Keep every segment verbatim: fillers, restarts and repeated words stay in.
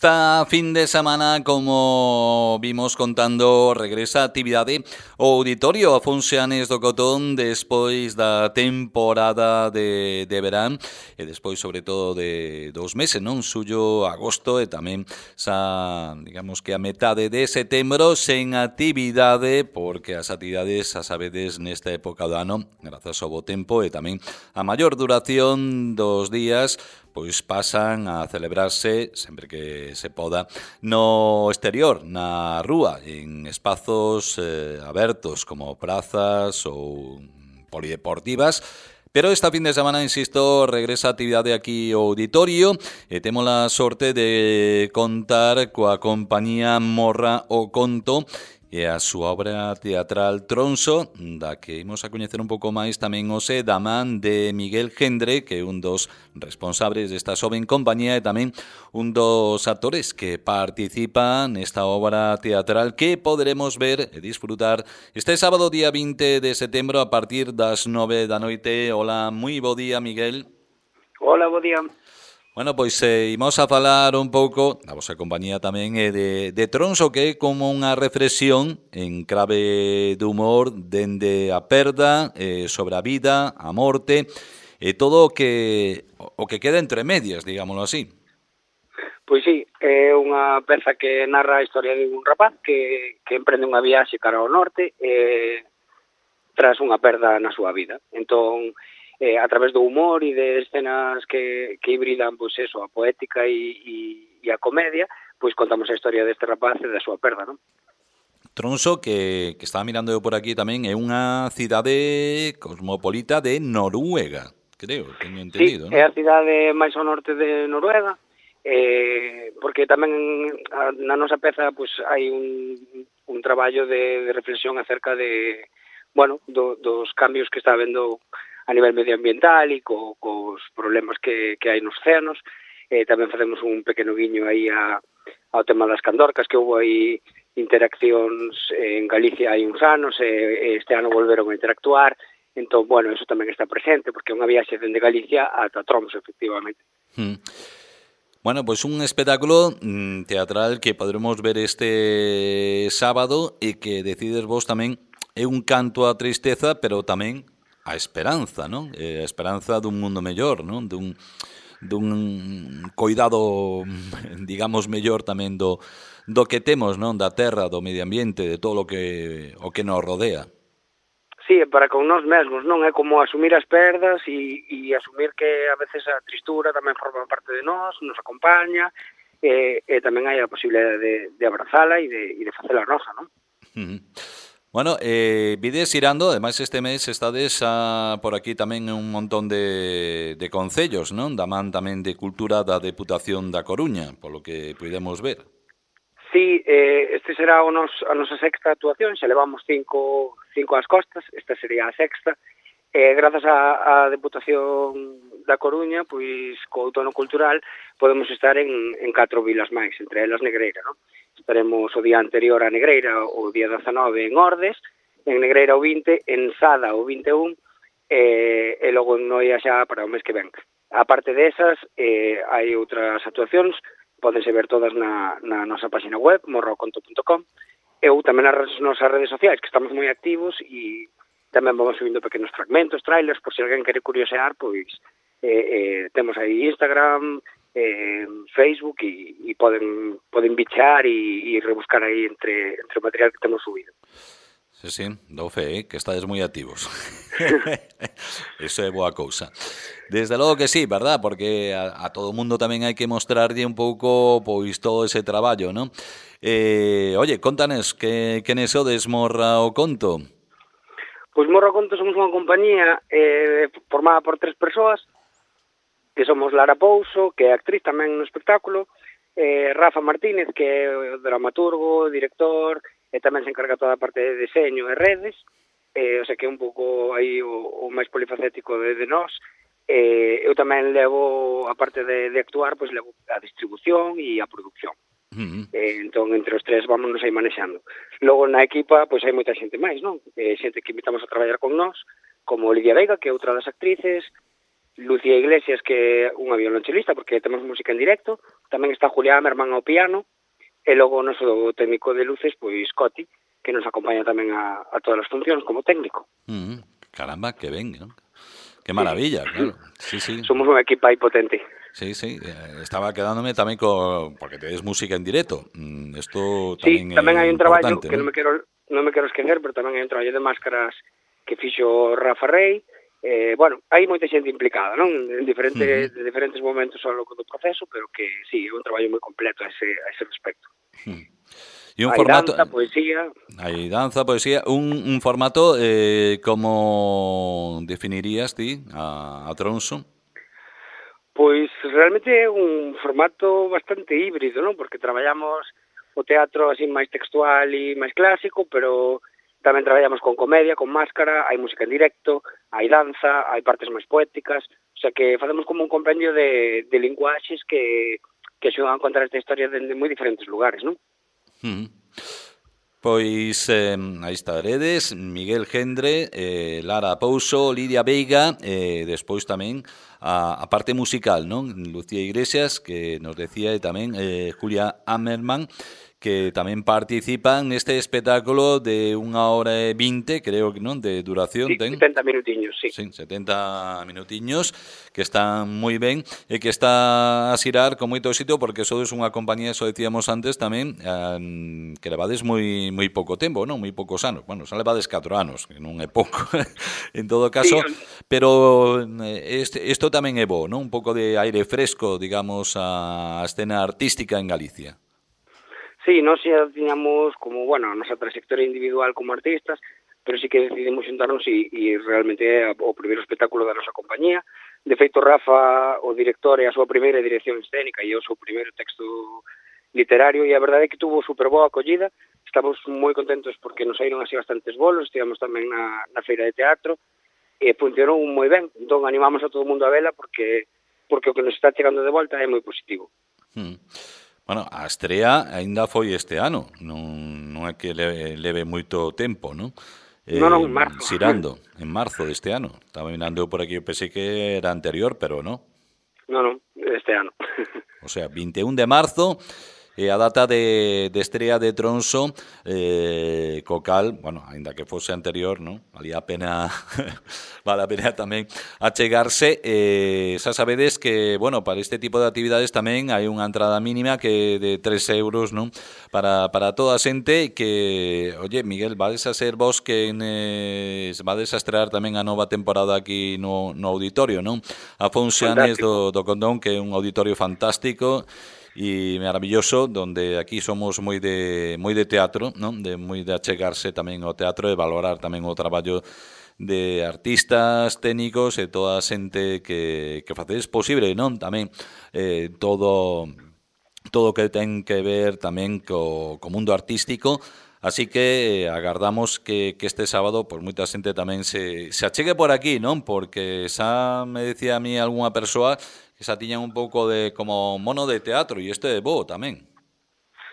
Esta fin de semana, como vimos contando, regresa a actividade o Auditorio Afonso Anes do Cotón despois da temporada de, de verán e despois, sobre todo, de dos meses, non? Suyo, agosto e tamén xa, digamos que a metade de setembro sen actividade, porque as actividades, a sabedes, nesta época do ano, grazas ao bo tempo e tamén a maior duración dos días, pois pasan a celebrarse, sempre que se poda, no exterior, na rúa, en espazos eh, abertos como prazas ou polideportivas. Pero esta fin de semana, insisto, regresa a actividade aquí ao auditorio e temos a sorte de contar coa compañía Morra o Conto e a súa obra teatral Tronso, da que imos a coñecer un pouco máis tamén hoxe da man de Miguel Gendre, que é un dos responsables desta xoven compañía e tamén un dos actores que participan nesta obra teatral que poderemos ver e disfrutar este sábado día vinte de setembro a partir das nove da noite. Hola, moi bo día, Miguel. Hola, bo día. Bueno, pois eh, imos a falar un pouco, a vosa compañía tamén, eh, de, de Tronso, que é como unha reflexión en clave de humor dende a perda, eh, sobre a vida, a morte, e todo o que, o que queda entre medias, digámoslo así. Pois sí, é unha peza que narra a historia de un rapaz que, que emprende unha viaxe cara ao norte eh, tras unha perda na súa vida. Entón, eh, a través do humor e de escenas que, que hibridan, pois eso, a poética e, e, e a comedia, pois contamos a historia deste rapaz e da súa perda, non? Tronso, que, que estaba mirando eu por aquí tamén, é unha cidade cosmopolita de Noruega, creo, teño entendido, sí, non? É a cidade máis ao norte de Noruega, eh, porque tamén na nosa peza pois hai un, un traballo de, de reflexión acerca de, bueno, do, dos cambios que está habendo a nivel medioambiental e co, cos problemas que, que hai nos océanos. Eh, tamén facemos un pequeno guiño aí a, ao tema das candorcas, que houve aí interaccións en Galicia hai uns anos, e este ano volveron a interactuar. Entón, bueno, eso tamén está presente, porque é unha viaxe dende Galicia ata Tromso, efectivamente. Hmm. Bueno, pois un espectáculo mm, teatral que podremos ver este sábado e que decides vos tamén é un canto á tristeza, pero tamén a esperanza, non? Eh, a esperanza dun mundo mellor, non? Dun, dun coidado, digamos, mellor tamén do, do que temos, non? Da terra, do medio ambiente, de todo o que, o que nos rodea. Sí, para con nós mesmos, non? É como asumir as perdas e, e asumir que a veces a tristura tamén forma parte de nós, nos acompaña, e, e tamén hai a posibilidade de, de abrazala e de, e de facela nosa, non? Uh-huh. Bueno, eh, vides irando, ademais este mes estades a, por aquí tamén un montón de, de concellos, non? Da man tamén de Cultura da Deputación da Coruña, polo que podemos ver. Sí, eh, este será o nos, a nosa sexta actuación, xa levamos cinco, cinco ás costas, esta sería a sexta. Eh, grazas á Deputación da Coruña, pois co outono cultural podemos estar en, en catro vilas máis, entre elas Negreira, non? Estaremos o día anterior a Negreira, o día dezanove en Ordes, en Negreira o vinte, en Sada o vinte e un, e, e logo en Noia xa para o mes que ven. A parte desas, eh, hai outras actuacións, pódense ver todas na, na nosa página web, morra o conto punto com, e ou tamén nas nosas redes sociais, que estamos moi activos e tamén vamos subindo pequenos fragmentos, trailers, por se alguén quere curiosear, pois eh, eh, temos aí Instagram, eh, Facebook e, e poden poden bichar e, e rebuscar aí entre, entre o material que temos subido. Sí, sí, dou fe, eh, que estades moi activos. Eso é boa cousa. Desde logo que sí, verdad? Porque a, a todo o mundo tamén hai que mostrarlle un pouco pois todo ese traballo, non? Eh, oye, contanes, que, que nesodes Morra o Conto? Pois Morra o Conto somos unha compañía eh, formada por tres persoas, que somos Lara Pouso, que é actriz tamén no espectáculo, eh, Rafa Martínez, que é o dramaturgo, director, e tamén se encarga toda a parte de deseño e redes, eh, o sea que é un pouco aí o, o máis polifacético de, de nós. Eh, eu tamén levo, a parte de, de actuar, pois levo a distribución e a producción. Uh-huh. Eh, entón, entre os tres vámonos aí manexando. Logo na equipa, pois hai moita xente máis, non? Eh, xente que invitamos a traballar con nós, como Lidia Veiga, que é outra das actrices, Lucía Iglesias, que é unha violonchelista, porque temos música en directo, tamén está Julián Mermán ao piano, e logo o noso técnico de luces, pois Coti, que nos acompaña tamén a, a todas as funcións como técnico. Mm, caramba, que ben, ¿no? Qué maravilla, sí. Claro. Sí, sí. Somos unha equipa aí potente. Sí, sí, eh, estaba quedándome tamén co porque tedes música en directo. Mm, esto tamén sí, tamén hai un traballo que ¿no? non me quero non me quero esquecer, pero tamén hai un traballo de máscaras que fixo Rafa Rey. Eh, bueno, hai moita xente implicada, non? En diferentes, uh -huh. de diferentes momentos ao longo do proceso, pero que sí, é un traballo moi completo a ese, a ese respecto. Uh -huh. E un hai formato, danza, poesía... Hai danza, poesía... Un, un formato, eh, como definirías ti a, a Tronso? Pois realmente é un formato bastante híbrido, non? Porque traballamos o teatro así máis textual e máis clásico, pero tamén traballamos con comedia, con máscara, hai música en directo, hai danza, hai partes máis poéticas, o sea que facemos como un compendio de, de linguaxes que, que axudan a contar esta historia dende moi diferentes lugares, non? Mm. Pois eh, aí estaredes, Miguel Gendre, eh, Lara Pouso, Lidia Veiga, e eh, despois tamén a, a parte musical, non? Lucía Iglesias, que nos decía, e tamén eh, Julia Ammerman, que tamén participan neste espectáculo de unha hora e vinte, creo que non, de duración. Sí, ten setenta minutiños, sí. Sí, setenta minutiños, que están moi ben, e que está a xirar con moito éxito, porque sodes unha compañía, eso decíamos antes tamén, eh, que levades moi moi pouco tempo, non? Moi poucos anos. Bueno, xa levades catro anos, que non é pouco, en todo caso, sí, pero este, isto tamén é bo, non? Un pouco de aire fresco, digamos, a escena artística en Galicia. Sí, nós xa tiñamos como, bueno, a nosa trayectoria individual como artistas, pero sí que decidimos xuntarnos e, e realmente é o primeiro espectáculo da nosa compañía. De feito, Rafa, o director, é a súa primeira dirección escénica e o seu primeiro texto literario, e a verdade é que tuvo super boa acollida. Estamos moi contentos porque nos saíron así bastantes bolos, estivemos tamén na, na feira de teatro, e funcionou moi ben. Entón, animamos a todo o mundo a vela porque, porque o que nos está chegando de volta é moi positivo. Hmm. Bueno, a estrea aínda foi este ano, non, non é que leve, leve moito tempo, non? Eh, non, non, en marzo. Xirando, en marzo deste ano. Estaba mirando por aquí, eu pensei que era anterior, pero non. Non, non, este ano. O sea, vinte e un de marzo, e a data de, de estrea de Tronso, eh, co cal, bueno, ainda que fose anterior, non? Valía a pena, vale a pena tamén achegarse. Eh, xa sabedes que, bueno, para este tipo de actividades tamén hai unha entrada mínima que de tres euros, non? Para, para toda a xente que, oye, Miguel, vades a ser vos que eh, vades a estrear tamén a nova temporada aquí no, no auditorio, non? A Fonxanes do, do Condón, que é un auditorio fantástico e maravilloso, donde aquí somos moi de moi de teatro, non? De moi de achegarse tamén ao teatro e valorar tamén o traballo de artistas, técnicos e toda a xente que, que facedes posible, non? Tamén eh, todo todo o que ten que ver tamén co, co mundo artístico. Así que agardamos que, que este sábado pues moita xente tamén se, se achegue por aquí, non? Porque xa me decía a mí algunha persoa que xa tiñan un pouco de como mono de teatro, e este é bo tamén.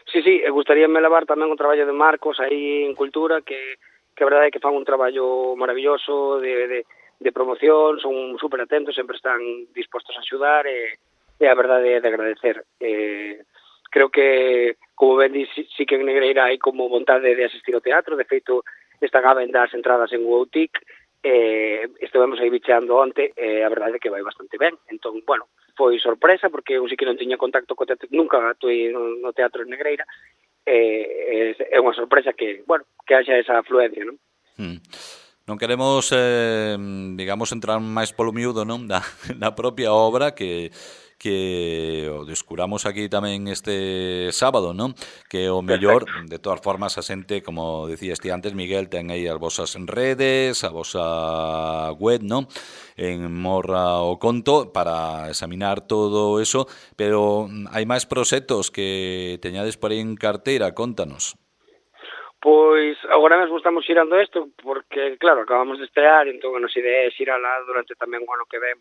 Sí, sí, e gustaríame levar tamén o traballo de Marcos aí en Cultura, que, que a verdade é que fan un traballo maravilloso de, de, de promoción, son super atentos, sempre están dispostos a axudar, e, e a verdade é de agradecer. Eh, creo que, como ben di, sí, sí que en Negreira hai como vontade de asistir ao teatro. De feito, están a vender as entradas en U O T I C, eh, estivemos aí bicheando onte, e a verdade é que vai bastante ben. Entón, bueno, foi sorpresa, porque eu sí que non tiña contacto co teatro, nunca actuei no, no teatro en Negreira, e eh, é unha sorpresa que, bueno, que haxa esa afluencia, non? Hmm. Non queremos, eh, digamos, entrar máis polo miúdo, non? Da, da propia obra, que que o descuramos aquí tamén este sábado, non? Que o mellor, de todas formas, a xente, como decías ti antes, Miguel, ten aí as vosas redes, a vosa web, non? En Morra o Conto, para examinar todo eso, pero hai máis proxectos que teñades por aí en carteira, contanos. Pois agora mesmo estamos xirando isto, porque, claro, acabamos de estrear, entón a nosa idea é xirala durante tamén o ano que ven,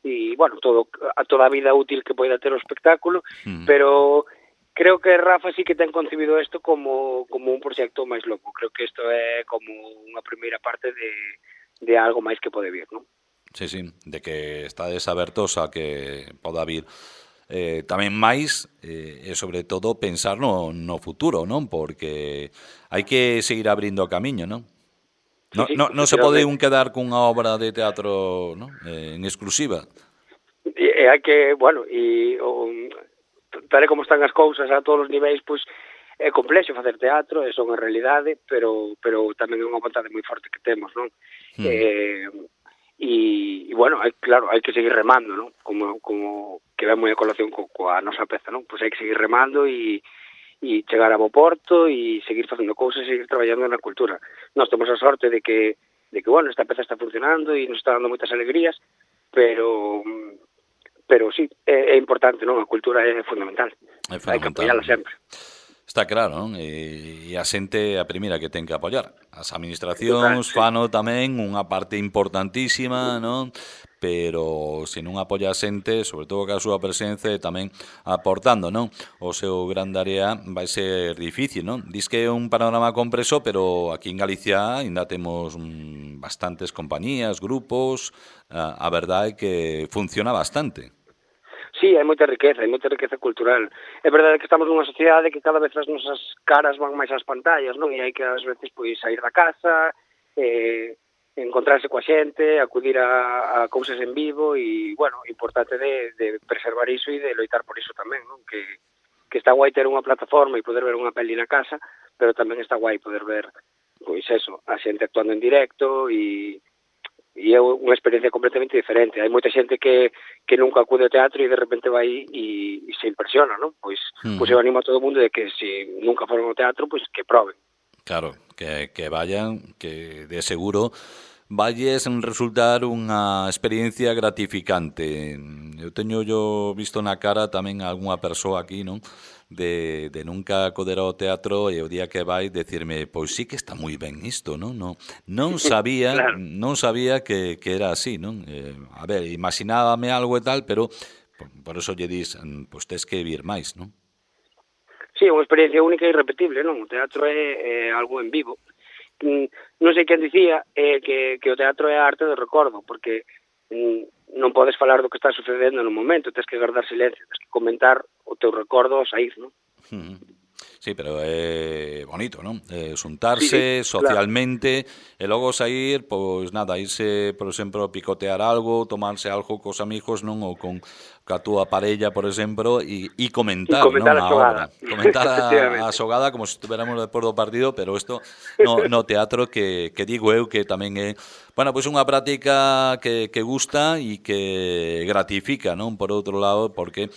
e, bueno, todo, a toda a vida útil que poida ter o espectáculo, mm. pero creo que Rafa sí que ten concebido isto como, como un proxecto máis loco. Creo que isto é como unha primeira parte de, de algo máis que pode vir, non? Sí, sí, de que estades abertos a que poda vir eh, tamén máis eh, e sobre todo pensar no, no futuro, non? Porque hai que seguir abrindo camiño, non? Sí, No, sí, no, non se pode un efectivamente. quedar cunha obra de teatro, non? Eh, en exclusiva. E, e hai que, bueno, e o, tal e como están as cousas a todos os niveis, pois é complexo facer teatro, é son a realidade, pero pero tamén é unha vontade moi forte que temos, non? Mm. Eh, e, e bueno, hai, claro, hai que seguir remando, non? Como, como que ve moi a colación co, coa nosa peza, non? Pois hai que seguir remando e e chegar a bo porto e seguir facendo cousas e seguir traballando na cultura. Nós temos a sorte de que, de que bueno, esta peza está funcionando e nos está dando moitas alegrías, pero pero sí, é, é importante, non? A cultura é fundamental. É Hai que fundamental. apoiala sempre. Está claro, non? E, e a xente a primeira que ten que apoiar. As Total, administracións sí. fano tamén unha parte importantísima, non? Pero se non apoia a xente, sobre todo ca súa presencia e tamén aportando, non? O seu gran área vai ser difícil, non? Dis que é un panorama compreso, pero aquí en Galicia ainda temos mm, bastantes compañías, grupos, a, a verdade é que funciona bastante. Sí, hai moita riqueza, hai moita riqueza cultural. É verdade que estamos nunha sociedade que cada vez as nosas caras van máis ás pantallas, non? E hai que ás veces pois sair da casa, eh, encontrarse coa xente, acudir a, a cousas en vivo e, bueno, importante de, de preservar iso e de loitar por iso tamén, non? Que, que está guai ter unha plataforma e poder ver unha peli na casa, pero tamén está guai poder ver, pois eso, a xente actuando en directo e e é unha experiencia completamente diferente. Hai moita xente que, que nunca acude ao teatro e de repente vai e, e se impresiona, non? Pois, Mm. pois eu animo a todo o mundo de que se nunca foron ao teatro, pois que proben. Claro, que, que vayan, que de seguro valles resultar unha experiencia gratificante. Eu teño yo visto na cara tamén a algunha persoa aquí, non? De, de nunca acudir ao teatro e o día que vai decirme, pois sí que está moi ben isto, non? Non, non sabía, Claro. non sabía que, que era así, non? Eh, a ver, imaginábame algo e tal, pero por, por eso lle dis, pois tes que vir máis, non? Sí, é unha experiencia única e irrepetible, non? O teatro é, é algo en vivo. Non sei quen dicía eh, que, que o teatro é a arte do recordo, porque mm, non podes falar do que está sucedendo no momento, tens que guardar silencio, tens que comentar o teu recordo ao saír, non? Uh-huh. Sí, pero é bonito, non? Eh, xuntarse Sí, sí, socialmente claro. E logo sair, pois nada, irse, por exemplo, picotear algo, tomarse algo cos amigos, non? Ou con ca túa parella, por exemplo, e, e comentar, comentar non? a A xogada. obra. Comentar a, a xogada como se estuviéramos despois do partido, pero isto no, no teatro que, que digo eu que tamén é, bueno, pois unha práctica que, que gusta e que gratifica, non? Por outro lado, porque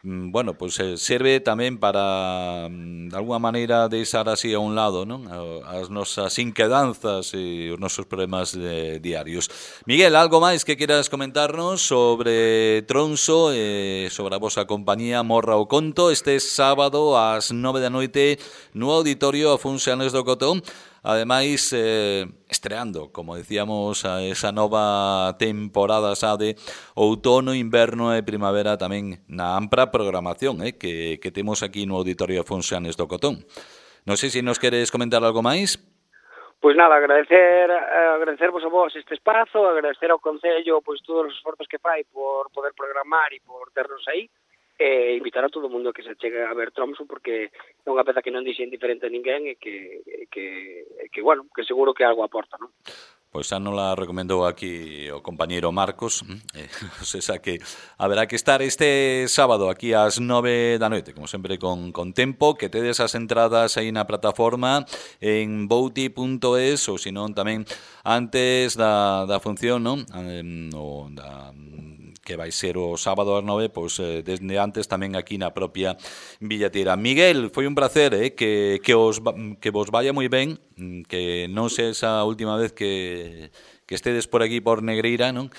bueno, pois pues, eh, serve tamén para de alguma maneira deixar así a un lado, non? As nosas inquedanzas e os nosos problemas eh, diarios. Miguel, algo máis que queras comentarnos sobre Tronso e eh, sobre a vosa compañía Morra o Conto este sábado ás nove da noite no Auditorio Afonso Anes do Cotón? Ademais, eh, estreando, como decíamos, a esa nova temporada xa de outono, inverno e primavera tamén na ampla programación eh, que, que temos aquí no Auditorio Afonso Anes do Cotón. Non sei se nos queres comentar algo máis. Pois nada, agradecer agradecervos a vos este espazo, agradecer ao Concello pois todos os esforzos que fai por poder programar e por ternos aí, e invitar a todo o mundo que se chegue a ver Tromso porque é unha peza que non dixe indiferente a ninguén e que, que, que bueno, que seguro que algo aporta, non? Pois xa non la recomendou aquí o compañeiro Marcos, eh, o sea que haberá que estar este sábado aquí ás nove da noite, como sempre con, con tempo, que tedes as entradas aí na plataforma en bouti punto es ou senón tamén antes da, da función, non? Eh, o da que vai ser o sábado ás nove, pois eh, desde antes tamén aquí na propia billetera. Miguel, foi un placer, eh, que, que, os, que vos vaya moi ben, que non se esa última vez que, que estedes por aquí por Negreira, non?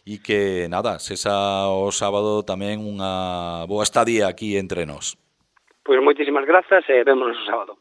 E que, nada, sesa o sábado tamén unha boa estadía aquí entre nós. Pois moitísimas grazas e vémonos o sábado.